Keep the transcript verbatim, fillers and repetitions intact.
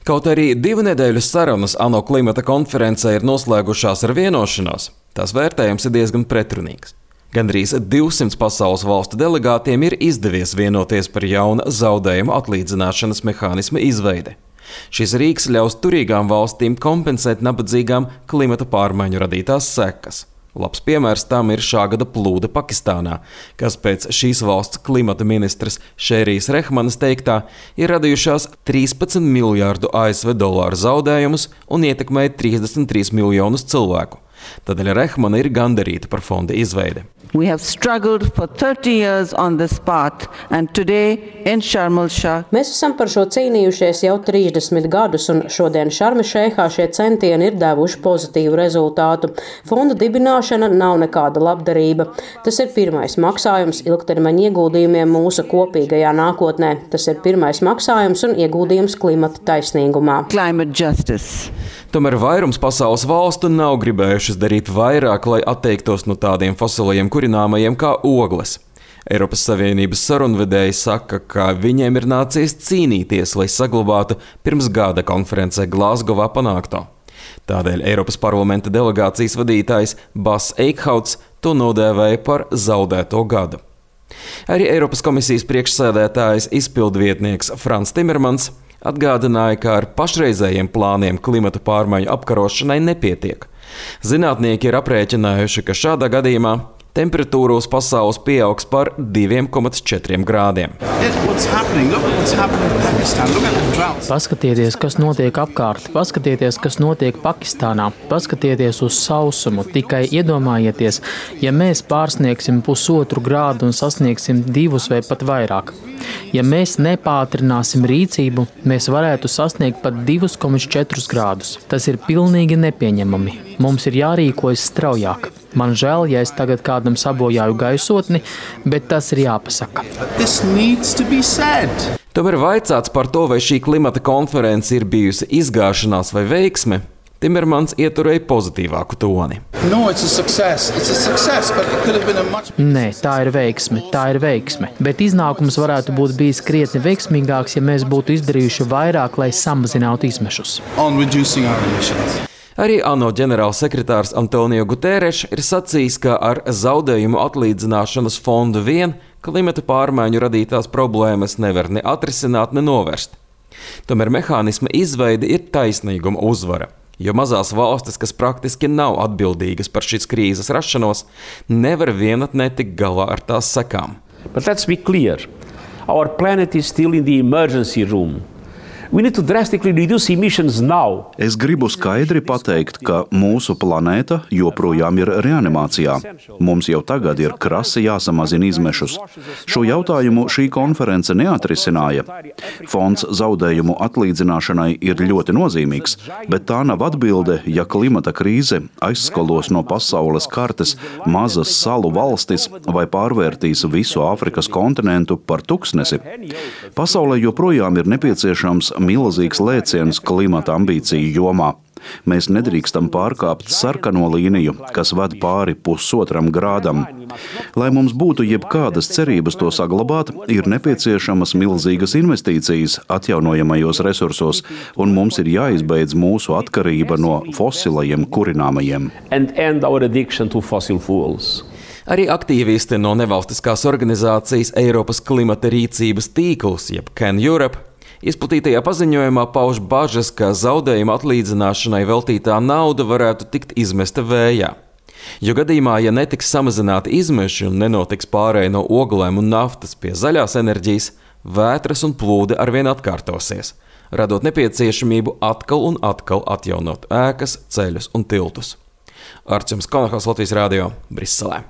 Kaut arī divu nedēļu sarunas ANO klimata konferencē ir noslēgušās ar vienošanos, tās vērtējums ir diezgan pretrunīgs. Gandrīz divsimt pasaules valstu delegātiem ir izdevies vienoties par jauna zaudējumu atlīdzināšanas mehānisma izveidi. Šis rīks ļaus turīgām valstīm kompensēt nabadzīgām klimata pārmaiņu radītās sekas. Labs piemērs tam ir šā gada plūde Pakistānā, kas pēc šīs valsts klimata ministras Šērijas Rehmanas teiktā ir radījušās trīspadsmit miljārdu A S V dolāru zaudējumus un ietekmēja trīsdesmit trīs miljonus cilvēku. Tādēļ Rehmana ir gandarīta par fonda izveidi. We have struggled for thirty years on this path, and today in Sharm el-Sheikh. Mēs esam par šo cīnījušies jau trīsdesmit gadus, un šodien Šarm el-Šeikhā šie centieni ir devuši pozitīvu rezultātu. Fonda dibināšana nav nekāda labdarība. Tas ir pirmais maksājums ilgtermiņa ieguldījumiem mūsu kopīgajā nākotnē. Tas ir pirmais maksājums un ieguldījums klimata taisnīgumā. Climate justice. Tomēr vairums pasaules valstu nav gribējušas darīt vairāk, lai atteiktos no tādiem fosilajiem kurināmajiem kā ogles. Eiropas Savienības sarunvedēji saka, ka viņiem ir nācies cīnīties, lai saglabātu pirms gada konferencē Glāzgovā panākto. Tādēļ Eiropas parlamenta delegācijas vadītājs Bas Eikhauts to nodēvēja par zaudēto gadu. Arī Eiropas komisijas priekšsēdētājs izpildvietnieks Frans Timermans atgādināja, ka ar pašreizējiem plāniem klimata pārmaiņu apkarošanai nepietiek. Zinātnieki ir aprēķinājuši, ka šādā gadījumā temperatūra uz pasaules pieaugs par divi komats četri grādiem. Paskatieties, kas notiek apkārt, paskatieties, kas notiek Pakistānā, paskatieties uz sausumu, tikai iedomājieties, ja mēs pārsniegsim pusotru grādu un sasniegsim divus vai pat vairāk. Ja mēs nepātrināsim rīcību, mēs varētu sasniegt pat divi komats četri grādus. Tas ir pilnīgi nepieņemami. Mums ir jārīkojas straujāk. Man žēl, ja es tagad kādam sabojāju gaisotni, bet tas ir jāpasaka. Tomēr vaicāts par to, vai šī klimata konference ir bijusi izgāšanās vai veiksme, Timermans ieturēja pozitīvāku toni. No, it's a success. It's a success, but it could have been a much... Nē, tā ir veiksme, tā ir veiksme. Bet iznākums varētu būt bijis krietni veiksmīgāks, ja mēs būtu izdarījuši vairāk, lai samazinātu izmešus. Arī ANO ģenerālsekretārs Antonio Guterres ir sacījis, ka ar zaudējumu atlīdzināšanas fondu vien klimata pārmaiņu radītās problēmas nevar ne atrisināt, ne novērst. Tomēr mehānisma izveide ir taisnīguma uzvara, jo mazās valstis, kas praktiski nav atbildīgas par šīs krīzes rašanos, nevar vienatnē tikt galā ar tās sekām. But let's be clear. Our planet is still in the emergency room. We need to drastically reduce emissions now. Es gribu skaidri pateikt, ka mūsu planēta joprojām ir reanimācijā. Mums jau tagad ir krasi jāsamazina izmešus. Šo jautājumu šī konference neatrisināja. Fonds zaudējumu atlīdzināšanai ir ļoti nozīmīgs, bet tā nav atbilde, ja klimata krīze aizskalos no pasaules kartes mazas salu valstis vai pārvērtīs visu Āfrikas kontinentu par tuksnesi. Pasaulē joprojām ir nepieciešams milzīgs lēciens klimata ambīciju jomā. Mēs nedrīkstam pārkāpt sarkano līniju, kas ved pāri pusotram grādam. Lai mums būtu jebkādas cerības to saglabāt, ir nepieciešamas milzīgas investīcijas atjaunojamajos resursos, un mums ir jāizbeidz mūsu atkarība no fosilajiem kurināmajiem. And end our addiction to fossil fuels. Arī aktīvisti no nevalstiskās organizācijas Eiropas klimata rīcības tīkls, jeb Can Europe, izplatītajā paziņojumā pauž bažas, ka zaudējuma atlīdzināšanai veltītā nauda varētu tikt izmesta vējā. Jo gadījumā, ja netiks samazināti izmeši un nenotiks pārēja no oglēm un naftas pie zaļās enerģijas, vētras un plūde arvien atkārtosies, radot nepieciešamību atkal un atkal atjaunot ēkas, ceļus un tiltus. Arčuns Konahals, Latvijas radio, Briselē.